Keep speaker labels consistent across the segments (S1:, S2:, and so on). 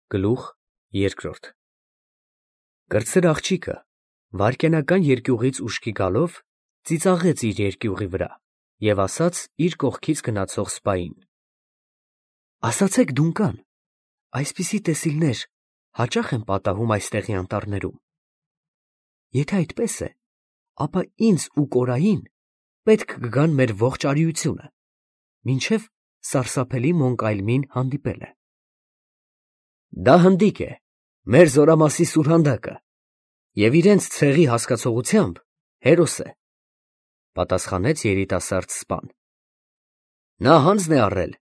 S1: Գլուխ երկրորդ Կրտսեր աղջիկը վայրկենական երկյուղից ուշքի գալով ծիծաղեց իր երկյուղի վրա և ասաց իր կողքից գնացող սպային. «Ասացեք դունկան, այսպիսի տեսիլներ հաճախ են պատահում այստեղի անտառներում։ Եթե այդպես է, ապա ինձ ու Կորային պետք կգան մեր ողջ արիությունը, մինչև սարսափելի Մոնկայլմին հանդիպելը»։ Դա հնդիկ է, մեր զորամասի սուրհանդակը, և իրենց ցեղի հասկացողությամբ հերոս է, պատասխանեց երիտասարդ սպան։ Նա հանձն է առել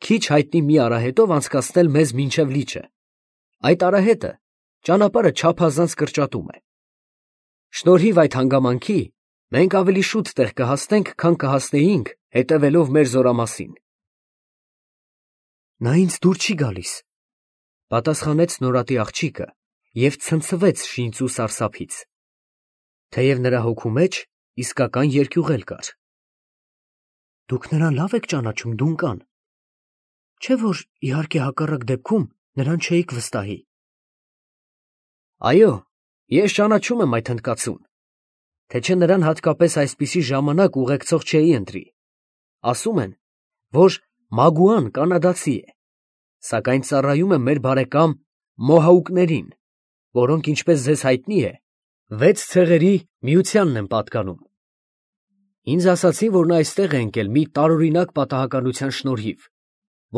S1: քիչ հայտնի մի արահետով անցկացնել մեզ մինչև լիճը։ Այդ արահետը ճանապարհը չափազանց կրճատում է։ Շնորհիվ այդ հանգամանքի մենք ավելի շուտ տեղ կհասնենք, քան կհասնեինք հետևելով մեր զորամասին։ Նա ինձ դուր չի գալիս, պատասխանեց նորատի աղջիկը և ցնցվեց շինծու սարսափից, թեև նրա հոգու մեջ իսկական երկյուղ կար։ Դուք նրան լավ եք ճանաչում, դունկան, չէ՞ որ իհարկե հակառակ դեպքում նրան չէիք վստահի։ Այո, ես ճանաչում եմ այդ հնդկացուն, թե չէ նրան հատկապես այսպիսի ժամանակ ուղեկցող չէի ընտրի։ Ասում են, որ Մագուան կանադացի է, սակայն ծառայում է մեր բարեկամ մոհաուկներին, որոնք, ինչպես ձեզ հայտնի է, 6 ցեղերի միությանն են պատկանում։ Ինձ ասացին, որ նա այստեղ է ընկել մի տարօրինակ պատահականության շնորհիվ,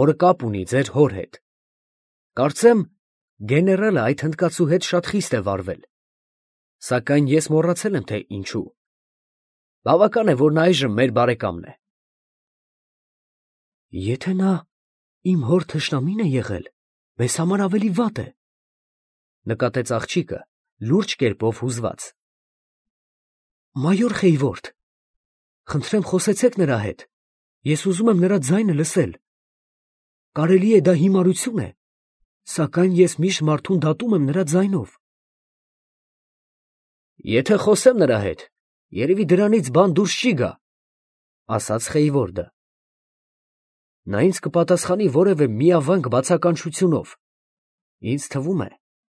S1: որը կապ ունի ձեր հոր հետ։ Կարծեմ, գեներալը այդ հնդկացու հետ շատ խիստ է վարվել, սակայն ես մոռացել եմ, թե ինչու։ Բավական է, որ նա այժմ մեր բարեկամն է։ Եթե նա իմ հոր թշնամին է եղել, մեզ համար ավելի վատ է, նկատեց աղջիկը լուրջ կերպով հուզված։ Մայոր Խեյվորդ, խնդրեմ խոսեցեք նրա հետ, ես ուզում եմ նրա ձայնը լսել։ Կարելի է դա հիմարություն է, սակայն ես միշտ մարդուն դատում եմ նրա ձայնով։ Եթե խոսեմ նրա հետ, երևի դրանից բան դուրս չի գա, ասաց Խեյվորդը։ Նա ինձ կպատասխանի որևէ միավանք բացականչությունով։ Ինձ թվում է,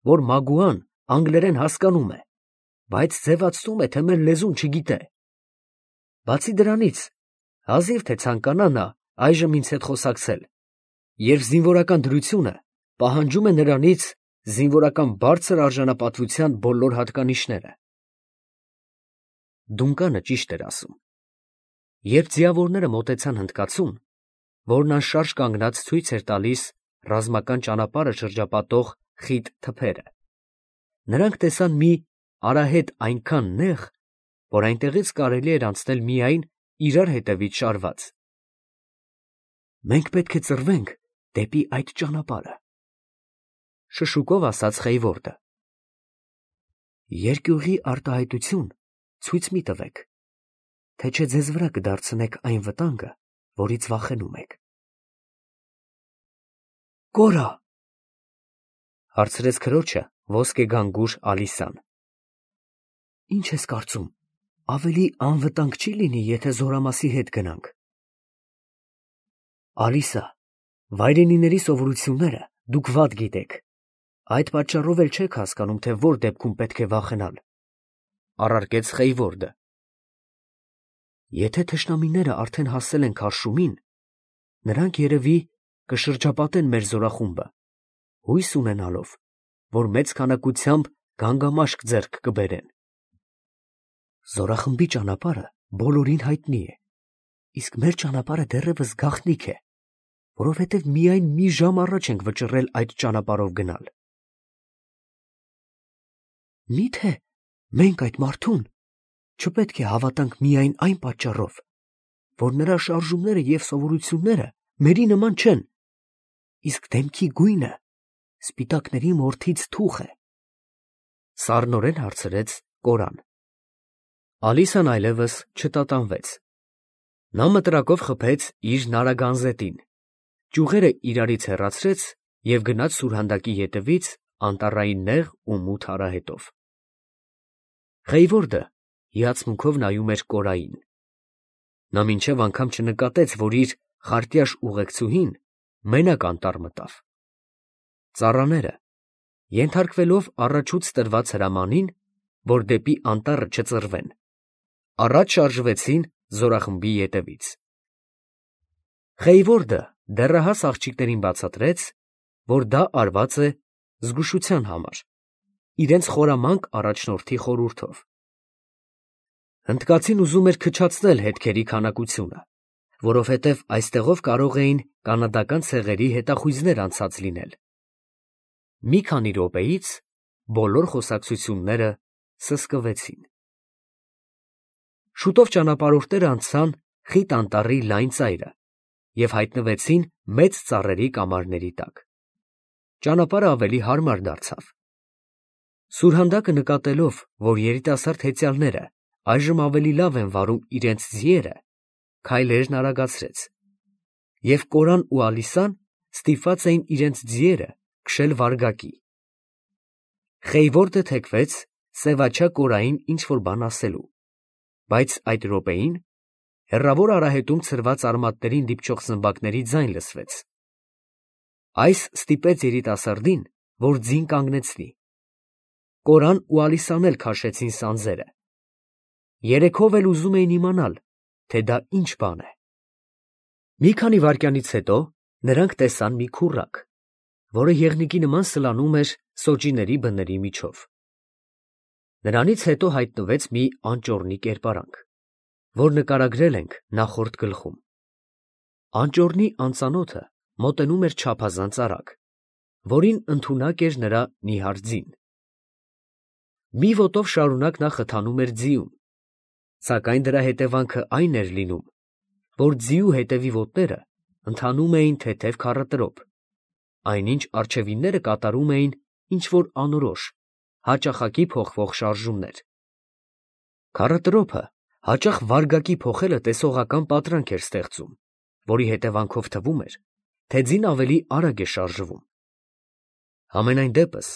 S1: որ Մագուան անգլերեն հասկանում է, բայց ձևացնում է, թե մեր լեզուն չգիտե։ Բացի դրանից, հազիվ թե ցանկանա նա այժմ ինձ հետ խոսակցել, երբ զինվորական դրությունը պահանջում է նրանից զինվորական բարձր արժանապատվության բոլոր հատկանիշները։ Դունկանը ճիշտ էր ասում։ Երբ ձիավորները մոտեցան հնդկացուն, որն անշարժ կանգնած ցույց էր տալիս ռազմական ճանապարհը շրջապատող խիտ թփերը, նրանք տեսան մի արահետ այնքան նեղ, որ այնտեղից կարելի էր անցնել միայն իրար հետևից շարված։ Մենք պետք է ծռվենք դեպի այդ ճանապարհը, շշուկով ասաց Խեյվորդը։ Երկյուղի արտահայտություն ցույց մի տվեք, թե չէ ձեզ վրա կդարձնեք այն վտանգը, որից վախենում եք։ Կորա, հարցրեց քրոջը ոսկեգանգուր Ալիսան։ Ինչ ես կարծում, ավելի անվտանգ չի լինի, եթե զորամասի հետ գնանք։ Ալիսա, վայրենիների սովորությունները դուք վատ գիտեք, այդ պատճառով էլ չեք հասկանում, թե որ դեպքում պետք է վախենալ, առարկեց Խեյվորդը։ Եթե թշնամիները արդեն հասել են քարշումին, նրանք երևի կշրջապատեն մեր զորախումբը, հույս ունենալով, որ մեծ քանակությամբ գանգամաշկ ձեռք կբերեն։ Զորախմբի ճանապարհը բոլորին հայտնի է, իսկ մեր ճանապարհը դեռևս գաղտնիք է, որովհետև միայն մի ժամ առաջ ենք վճռել այդ ճանապարհով գնալ։ Միթե մենք այդ մարդուն չպետք է հավատանք միայն այն պատճառով, որ նրա շարժումները և սովորությունները մերի նման չեն, իսկ դեմքի գույնը սպիտակների մորթից թուխ է, սառնորեն հարցրեց Կորան։ Ալիսան այլևս չտատանվեց։ Նա մտրակով խփեց իր նարագանզետին, ճյուղերը իրարից հեռացրեց և գնաց սուրհանդակի ետևից անտառային նեղ ու մութ արահետով։ Խեյվորդը հիացմունքով նայում էր Կորային։ Նա մինչև անգամ չնկատեց, որ իր խարտյաշ ուղեկցուհին մենակ անտառ մտավ։ ծառաները, ենթարկվելով առաջուց տրված հրամանին, որ դեպի անտառը չծռվեն, առաջ շարժվեցին զորախմբի ետևից։ Խեյվորդը դեռահաս աղջիկներին բացատրեց, որ դա արված է զգուշության համար, իրենց խորամանկ առաջնորդի խորհուրդով։ Հնդկացին ուզում էր քչացնել հետքերի քանակությունը, որովհետև այստեղով կարող էին կանադական ցեղերի հետախույզներ անցած լինել։ Մի քանի րոպեից բոլոր խոսակցությունները սսկվեցին։ Շուտով ճանապարհորդները անցան խիտ անտառի լայն ծայրը և հայտնվեցին մեծ ծառերի կամարների տակ։ Ճանապարհը ավելի հարմար դարձավ։ Սուրհանդակը նկատելով, որ երիտասարդ հեծյալները այժմ ավելի լավ են վարում իրենց ձիերը, քայլերն արագացրեց, և Կորան ու Ալիսան ստիպված էին իրենց ձիերը քշել վարգակի։ Խեյվորդը թեքվեց սևաչյա Կորային ինչ-որ բան ասելու, բայց այդ րոպեին հեռավոր արահետում ցրված արմատներին դիպչող զմբակների ձայն լսվեց։ Այս ստիպեց երիտասարդին, որ ձին կանգնեցնի։ Կորան ու Ալիսան էլ քաշեցին սանձերը։ Երեքով էլ ուզում էին իմանալ, թե դա ինչ բան է։ Մի քանի վայրկյանից հետո նրանք տեսան մի քուռակ, որը եղնիկի նման սլանում էր սոճիների բների միջով։ Նրանից հետո հայտնվեց մի անճոռնի կերպարանք, որ նկարագրել ենք նախորդ գլխում։ Անճոռնի անծանոթը մոտենում էր չափազանց արագ, որին ընդունակ էր նրա նիհար ձին։ Մի ոտով շարունակ նա խթանում էր ձիուն, սակայն դրա հետևանքը այն էր լինում, որ ձիու հետևի ոտները ընթանում էին թեթև քառատրոփ, այնինչ առջևինները կատարում էին ինչ-որ անորոշ, հաճախակի փոխվող շարժումներ։ Քառատրոփը հաճախ վարգակի փոխելը տեսողական պատրանք էր ստեղծում, որի հետևանքով թվում էր, թե ձին ավելի արագ է շարժվում։ Համենայն դեպս,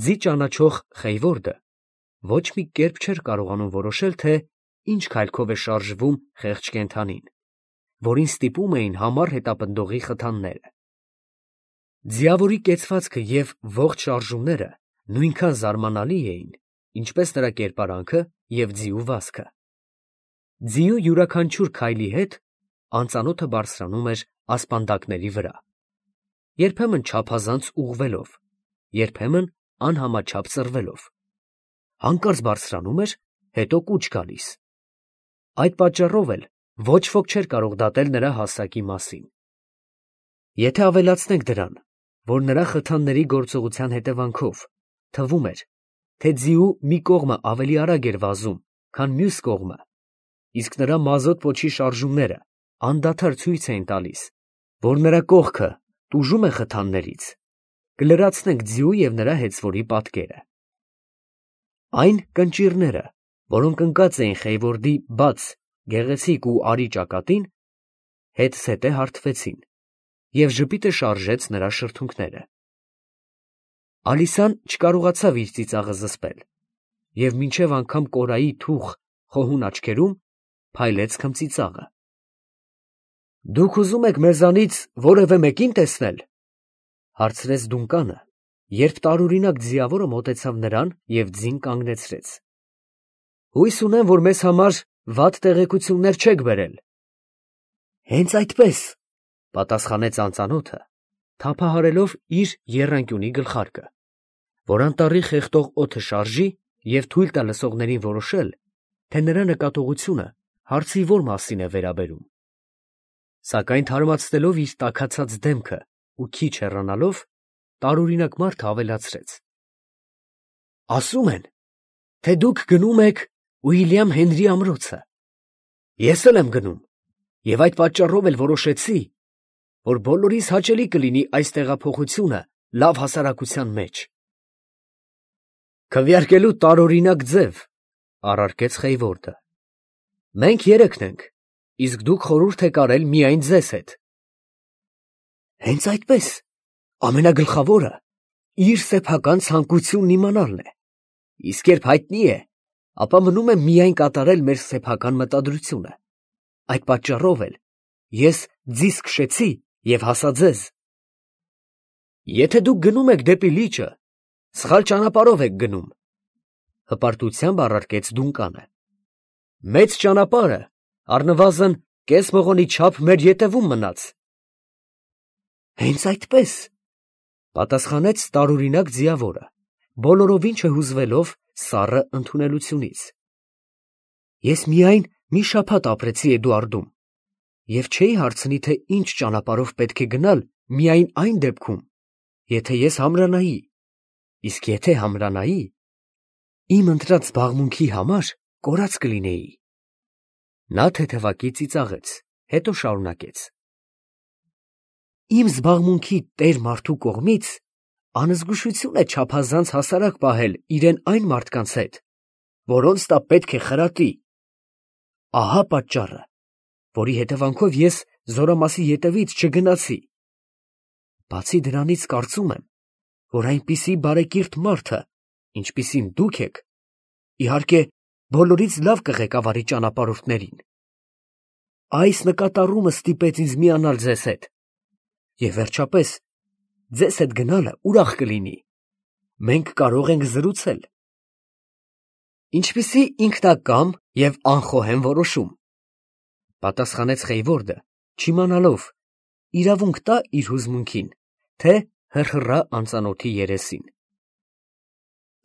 S1: ձի ճանաչող Խեյվորդը ոչ մի կերպ չէր կարողանում որոշել, թե ինչ քայլքով է շարժվում խեղճ կենդանին, որին ստիպում էին համառ հետապնդողի խթանները։ Ձիավորի կեցվածքը և ողջ շարժումները նույնքան զարմանալի էին, ինչպես նրա կերպարանքը և ձիու վազքը։ Ձիու յուրաքանչյուր քայլի հետ անծանոթը բարձրանում էր ասպանդակների վրա, երբեմն չափազանց ուղղվելով, երբեմն անհամաչափ ծռվելով, հանկարծ բարձրանում էր, հետո կուչ գալիս։ Այդ պատճառով էլ ոչ ոք չէր կարող դատել նրա հասակի մասին։ Եթե ավելացնենք դրան, որ նրա խթանների գործողության հետևանքով թվում էր, թե ձիու մի կողմը ավելի արագ էր վազում, քան մյուս կողմը, իսկ նրա մազոտ պոչի շարժումները անդադար ցույց էին տալիս, որ նրա կողքը տուժում է խթաններից, կլրացնենք ձիու և նրա հեծվորի պատկերը։ Այն կնճիռները, որոնք ընկած էին Խեյվորդի բաց, գեղեցիկ ու արի ճակատին, հետզհետե հարթվեցին, և ժպիտը շարժեց նրա շրթունքները։ Ալիսան չկարողացավ իր ծիծաղը զսպել և մինչև անգամ Կորայի թուխ խոհուն աչքերում փայլեց քմծիծաղը։ ֊ Դուք ուզում եք մեզանից որևէ մեկին տեսնել, ֊ հարցրեց Դունկանը, երբ տարօրինակ ձիավորը մոտեցավ նրան և ձին կանգնեցրեց։ ֊ Հույս ունեմ, որ մեզ համար վատ տեղեկություններ չեք բերել։ ֊ Հենց այդպես, ֊ պատասխանեց անծանոթը, թափահարելով իր եռանկյունի գլխարկը, որ անտառի խեղդող օդը շարժի և թույլ տա լսողներին որոշել, թե նրա նկատողությունը հարցի որ մասին է վերաբերում։ Սակայն թարմացնելով իր տաքացած դեմքը ու քիչ հեռանալով, տարօրինակ մարդը ավելացրեց. ասում են, թե դուք գնում եք Ուիլյամ Հենրի ամրոցը։ Ես էլ եմ գնում, և այդ պատճառով էլ որոշեցի, որ բոլորիս հաճելի կլինի այս տեղափոխությունը լավ հասարակության մեջ։ Քվեարկելու տարօրինակ ձև, ֊ առարկեց Խեյվորդը։ Մենք երեքն ենք, իսկ դուք խորհուրդ եք արել միայն ձեզ հետ։ Հենց այդպես, ամենագլխավորը իր սեփական ցանկությունն իմանալն է, իսկ երբ հայտնի է, ապա մնում է միայն կատարել մեր սեփական մտադրությունը։ Այդ պատճառով էլ ես ձիզ քշեցի և հասա ձեզ։ Եթե դուք գնում եք դեպի լիճը, սխալ ճանապարհով եք գնում, հպարտությամբ առարկեց Դունկանը։ Մեծ ճանապարհը առնվազն կես մղոնի չափ մեր ետևում մնաց։ Հենց այդպես, պատասխանեց տարօրինակ ձիավորը, բոլորովին չհուզվելով սառը ընդունելությունից։ Ես միայն մի շաբաթ ապրեցի Էդուարդում և չէի հարցնի, թե ինչ ճանապարհով պետք է գնալ միայն այն դեպքում, եթե ես համրանայի, իսկ եթե համրանայի, իմ ընտրած զբաղմունքի համար կորած կլինեի։ Նա թեթևակի ծիծաղեց, հետո շարունակեց. Իմ զբաղմունքի տեր մարդու կողմից անզգուշություն է չափազանց հասարակ պահել իրեն այն մարդկանց հետ, որոնց տա պետք է խրատի։ Ահա պատճառը, որի հետևանքով ես Զորամասի ետևից չգնացի։ Բացի դրանից կարծում եմ, որ այնպիսի բարեկիրթ մարդը, ինչպիսին դուք եք, իհարկե բոլորից լավ կղեկավարի ճանապարհորդներին։ Այս նկատառումը ստիպեց ինձ միանալ ձեզ հետ, և վերջապես ձեզ հետ գնալը ուրախ կլինի։ Մենք կարող ենք զրուցել։ Ինչպիսի ինքնակամ և անխոհեմ որոշում, պատասխանեց Խեյվորդը, չիմանալով իրավունք տա իր հուզմունքին, թե հրհռա անծանոթի երեսին։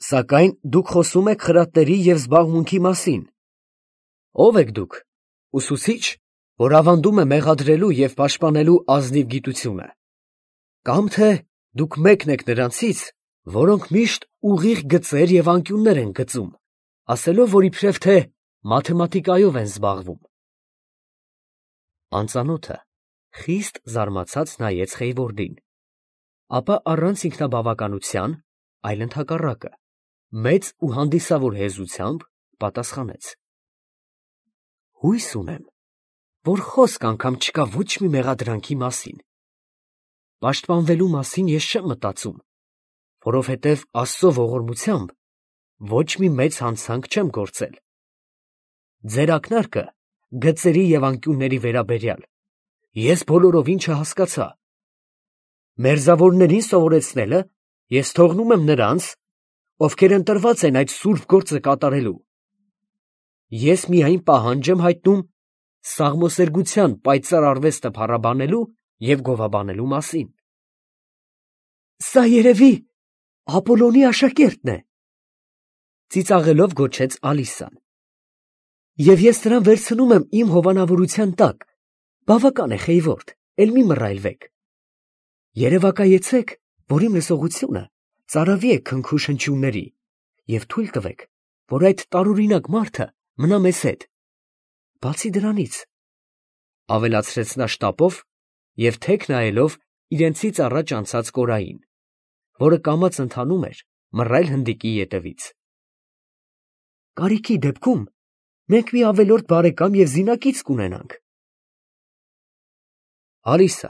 S1: Սակայն դուք խոսում եք խրատների և զբաղմունքի մասին։ Ո՞վ եք դուք, ուսուցիչ, որ ավանդում է մեղադրելու և պաշտպանելու ազնիվ գիտությունը, կամ թե դուք մեկն եք նրանցից, որոնք միշտ ուղիղ գծեր և անկյուններ են գծում, ասելով, որ իբրև թե մաթեմատիկայով են զբաղվում։ Անծանոթը խիստ զարմացած նայեց Խեյվորդին, ապա առանց ինքնաբավականության, այլ ընդհակառակը, մեծ ու հանդիսավոր հեզությամբ պատասխանեց. Հույս ունեմ, որ խոսք անգամ չկա ոչ մի մեղադրանքի մասին։ Պաշտպանվելու մասին ես չեմ մտածում, որովհետև Աստծո ողորմությամբ ոչ մի մեծ հանցանք չեմ գործել։ Ձեր ակնարկը գծերի և անկյունների վերաբերյալ ես բոլորովին չհասկացա։ Մերձավորներին սովորեցնելը ես թողնում եմ նրանց, ովքեր ընտրված են այդ սուրբ գործը կատարելու։ Ես միայն պահանջ եմ հայտնում սաղմոսերգության պայծառ արվեստը փառաբանելու և գովաբանելու մասին։ Սա երևի Ապոլոնի աշակերտն է, ծիծաղելով գոչեց Ալիսան։ Եվ ես նրան վերցնում եմ իմ հովանավորության տակ, բավական է, Խեյվորդ, էլ մի մռայլվեք։ Երևակայեցեք, որ իմ լսողությունը ծարավի է քնքուշ հնչյունների, և թույլ տվեք, որ այդ տարօրինակ մարդը մնա մեզ հետ։ Բացի դրանից, ավելացրեց նա շտապով և թեք նայելով իրենցից առաջ անցած կորային, որը կամաց ընթանում էր մռայլ հնդիկի ետևից։ Կարիքի դեպքում մենք մի ավելորդ բարեկամ և զինակից կունենանք։ Ալիսա,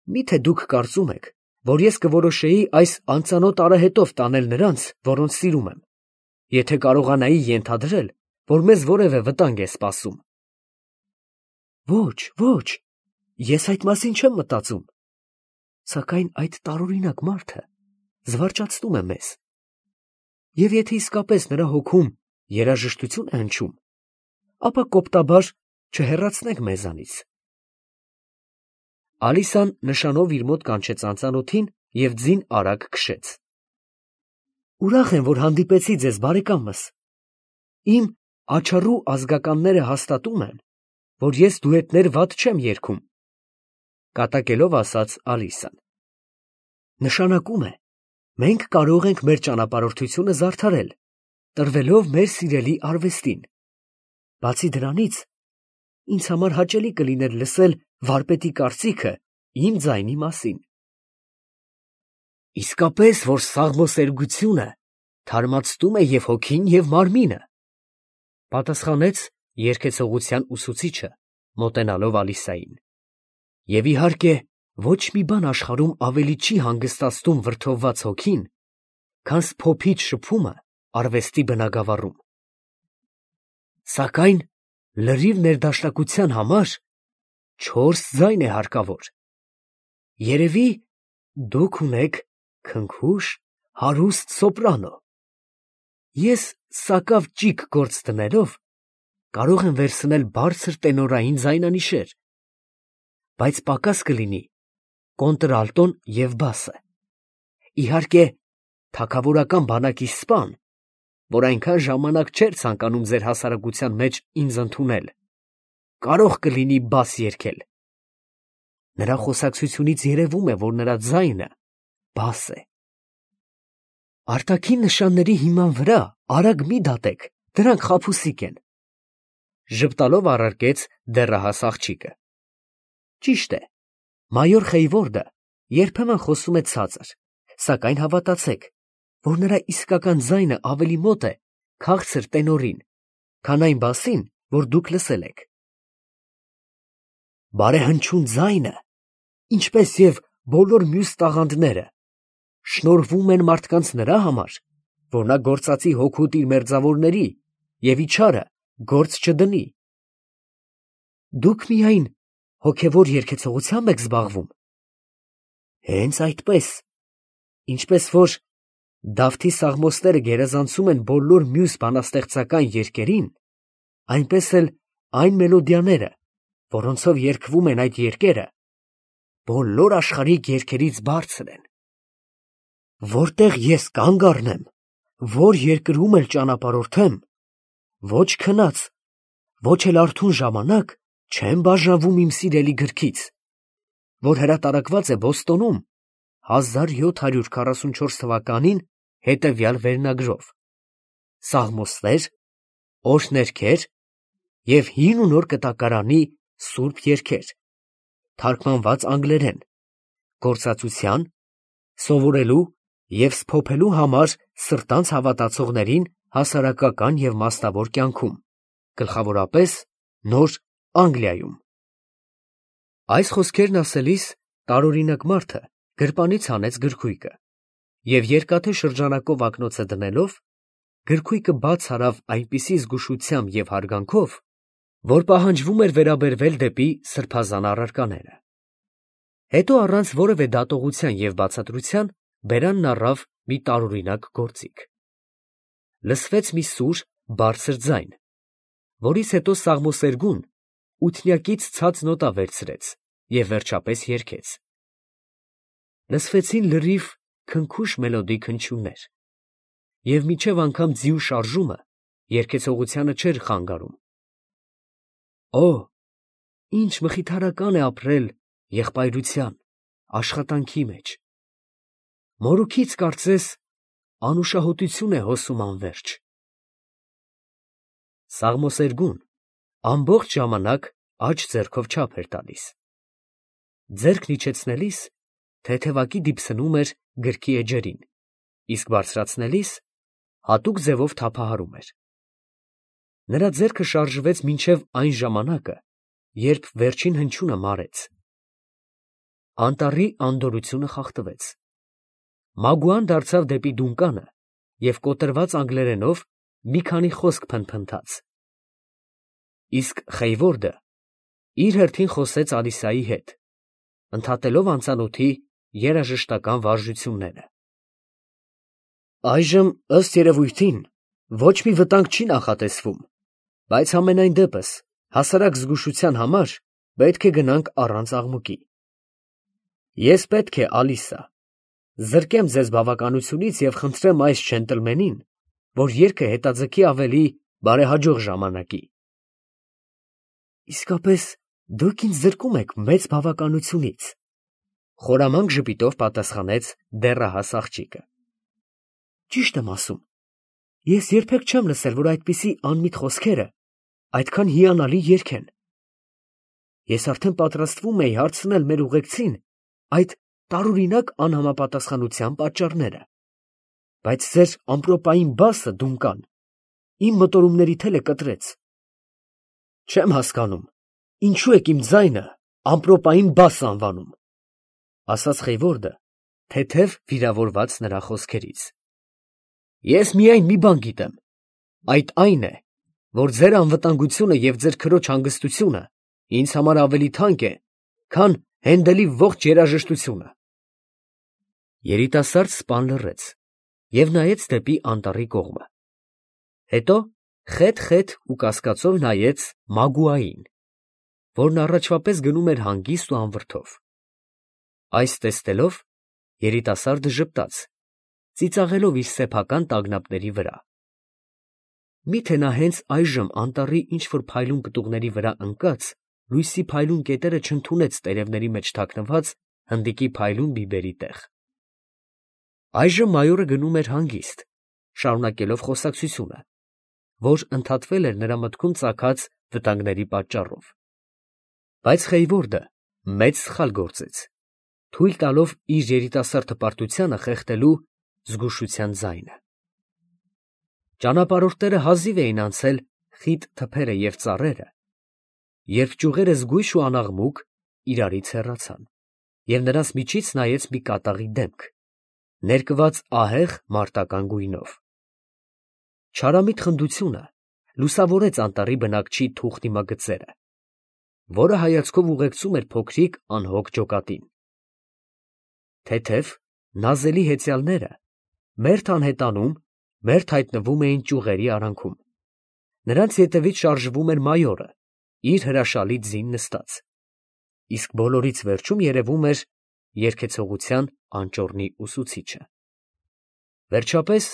S1: միթե դուք կարծում եք, որ ես կորոշեի այս անծանոթ արահետով տանել նրանց, որոնց սիրում եմ, եթե կարողանայի ենթադրել, որ մեզ որևէ վտանգ է սպասում։ Ոչ, ոչ, ես այդ մասին չեմ մտածում, սակայն այդ տարօրինակ մարդը զվարճացնում է մեզ, և եթե իսկապես նրա հոգում երաժշտություն է հնչում, ապա կոպտաբար չհեռացնենք մեզանից։ Ալիսան նշանով իր մոտ կանչեց անծանոթին և ձին արագ քշեց։ Ուրախ եմ, որ հանդիպեցի ձեզ, բարեկամս։ Իմ աչառու ազգականները հաստատում են, որ ես դուետներ վատ չեմ երգում, կատակելով ասաց Ալիսան։ Նշանակում է, մենք կարող ենք մեր ճանապարհորդությունը զարդարել, տրվելով մեր սիրելի արվեստին։ Բացի դրանից, ինձ համար հաճելի կլիներ լսել վարպետի կարծիքը իմ ձայնի մասին։ Իսկապես, որ սաղմոսերգությունը թարմացնում է և հոգին, և մարմինը, պատասխանեց երգեցողության ուսուցիչը, մոտենալով Ալիսային։ Եվ իհարկե, ոչ մի բան աշխարհում ավելի չի հանգստացնում վրդովված հոգին, քան սփոփիչ շփումը արվեստի բնագավառում։ Սակայն լրիվ ներդաշնակության համար 4 ձայն է հարկավոր։ Երևի դուք ունեք քնքուշ, հարուստ սոպրանո։ Ես սակավ ճիգ գործ դնելով կարող եմ վերցնել բարձր տենորային ձայնանիշեր, բայց պակաս կլինի կոնտրալտոն և բասը։ Իհարկե, թագավորական բանակի սպան, որ այնքան ժամանակ չէր ցանկանում ձեր հասարակության մեջ ինձ ընդունել, կարող կլինի բաս երգել։ Նրա խոսակցությունից երևում է, որ նրա ձայնը բաս է։ Արտաքին նշանների հիման վրա արագ մի դատեք, դրանք խաբուսիկ են, ժպտալով առարկեց դեռահաս աղջիկը։ Ճիշտ է, մայոր Խեյվորդը երբեմն խոսում է ցածր, սակայն հավատացեք, որ նրա իսկական ձայնը ավելի մոտ է քաղցր տենորին, քան այն բասին, որ դուք լսել եք։ Բարեհնչյուն ձայնը, ինչպես և բոլոր մյուս տաղանդները, շնորհվում են մարդկանց նրա համար, որ նա գործածի հոգուտ իր մերձավորների և իչարը գործ չդնի։ Դուք միայն հոգևոր երգեցողությամբ եք զբաղվում։ Հենց այդպես, ինչպես որ Դավթի սաղմոսները գերազանցում են բոլոր մյուս բանաստեղծական երգերին, այնպես էլ այն մելոդիաները, որոնցով երգվում են այդ երգերը, բոլոր աշխարհիկ երգերից բարձր են։ Որտեղ ես կանգ առնեմ, որ երկրում էլ ճանապարհորդեմ, ոչ քնած, ոչ էլ արթուն ժամանակ չեմ բաժանվում իմ սիրելի գրքից, որ հրատարակված է Բոստոնում 1744 թվականին հետևյալ վերնագրով. Սաղմոսներ, օրհներգեր և հին ու նոր կտակարանի սուրբ երգեր, թարգմանված անգլերեն, գործածության, սովորելու և սփոփելու համար սրտանց հավատացողներին հասարակական և մասնավոր կյանքում, գլխավորապես Նոր Անգլիայում։ Այս խոսքերն ասելիս տարօրինակ մարդը գրպանից հանեց գրքույկը և երկաթե շրջանակով ակնոցը դնելով, գրքույկը բաց արավ այնպիսի զգուշությամբ և հարգանքով, որ պահանջվում էր վերաբերվել դեպի սրբազան առարկաները։ Հետո առանց որևէ դատողության և բացատրության բերանն առավ մի տարօրինակ գործիք։ Լսվեց մի սուր, բարձր ձայն, որից հետո սաղմոսերգուն ութնյակից ցած նոտա վերցրեց և վերջապես երգեց։ Լսվեցին լրիվ քնքուշ մելոդիկ հնչյուններ, և մինչև անգամ ձիու շարժումը երգեցողությանը չէր խանգարում։ Օ, ինչ մխիթարական է ապրել եղբայրության, աշխատանքի մեջ։ Մորուքից կարծես անուշահոտություն է հոսում անվերջ։ Սաղմոսերգուն ամբողջ ժամանակ աջ ձեռքով չափ էր տալիս։ Ձեռքն իջեցնելիս թեթևակի դիպսնում էր գրքի էջերին, իսկ բարձրացնելիս հատուկ ձևով թափահարում էր։ Նրա ձեռքը շարժվեց մինչև այն ժամանակը, երբ վերջին հնչյունը մարեց։ Անտառի անդորրությունը խախտվեց։ Մագուան դարձավ դեպի դունկանը և կոտրված անգլերենով մի քանի խոսք փնթփնթաց։ Իսկ Խեյվորդը իր հերթին խոսեց Ալիսայի հետ, ընդհատելով անծանոթի երաժշտական վարժությունները։ Այժմ, ըստ երևույթին, ոչ մի վտանգ չի նախատեսվում, բայց համենայն դեպս հասարակ զգուշության համար պետք է գնանք առանց աղմուկի։ Ես պետք է, Ալիսա, զրկեմ ձեզ բավականությունից և խնդրեմ այս ջենտլմենին, որ երգը հետաձգի ավելի բարեհաջող ժամանակի։ Իսկապես դուք ինձ զրկում եք մեծ բավականությունից, խորամանկ ժպիտով պատասխանեց դեռահաս աղջիկը։ Ճիշտ եմ ասում, ես երբեք չեմ լսել, որ այդպիսի անմիտ խոսքերը այդքան հիանալի երգ են։ Ես արդեն պատրաստվում էի հարցնել մեր ուղեկցին այդ տարօրինակ անհամապատասխանության պատճառները, բայց ձեր ամպրոպային բասը դունկան իմ մտորումների թելը կտրեց։ Չեմ հասկանում, ինչու եք իմ ձայնը ամպրոպային բաս անվանում, ասաց Խեյվորդը, թեթև վիրավորված նրա խոսքերից։ Ես միայն մի բան գիտեմ, այդ այն է, որ ձեր անվտանգությունը և ձեր քրոջ հանգստությունը ինձ համար ավելի թանկ է, քան Հենդելի ողջ երաժշտությունը։ Երիտասարդ սպան լռեց և նայեց դեպի անտառի կողմը, հետո խետ ու կասկածով նայեց Մագուային, որն առաջվա պես գնում էր հանգիստ ու անվրդով։ Այս տեսնելով երիտասարդը ժպտաց, ծիծաղելով իր սեփական տագնապների վրա։ Միթե նա հենց այժմ անտառի ինչ֊որ փայլուն պտուղների վրա ընկած լույսի փայլուն կետերը չընդունեց տերևների մեջ թաքնված հնդիկի փայլուն բիբերի տեղ։ Այժմ մայորը գնում էր հանգիստ, շարունակելով խոսակցությունը, որ ընդհատվել էր նրա մտքում ծագած վտանգների պատճառով։ Բայց Խեյվորդը մեծ սխալ գործեց, թույլ տալով իր երիտասարդ հպարտությանը խեղդելու զգուշության ձայնը։ Ճանապարհորդները հազիվ էին անցել խիտ թփերը և ծառերը, երբ ճյուղերը զգույշ ու անաղմուկ իրարից հեռացան, և նրանց միջից նայեց մի կատաղի դեմք, ներկված ահեղ մարտական գույնով։ Չարամիտ խնդությունը լուսավորեց անտառի բնակչի թուխ դիմագծերը, որը հայացքով ուղեկցում էր փոքրիկ անհոգ ջոկատին։ Թեթև, նազելի հեծյալները մերթ անհետանում, մերթ հայտնվում էին ճյուղերի արանքում։ Նրանց ետևից շարժվում էր մայորը, իր հրաշալի ձին նստած, իսկ բոլորից վերջում երևում էր երգեցողության անճոռնի ուսուցիչը։ Վերջապես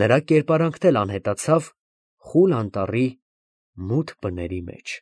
S1: նրա կերպարանքն էլ անհետացավ խուլ անտառի մութ բների մեջ։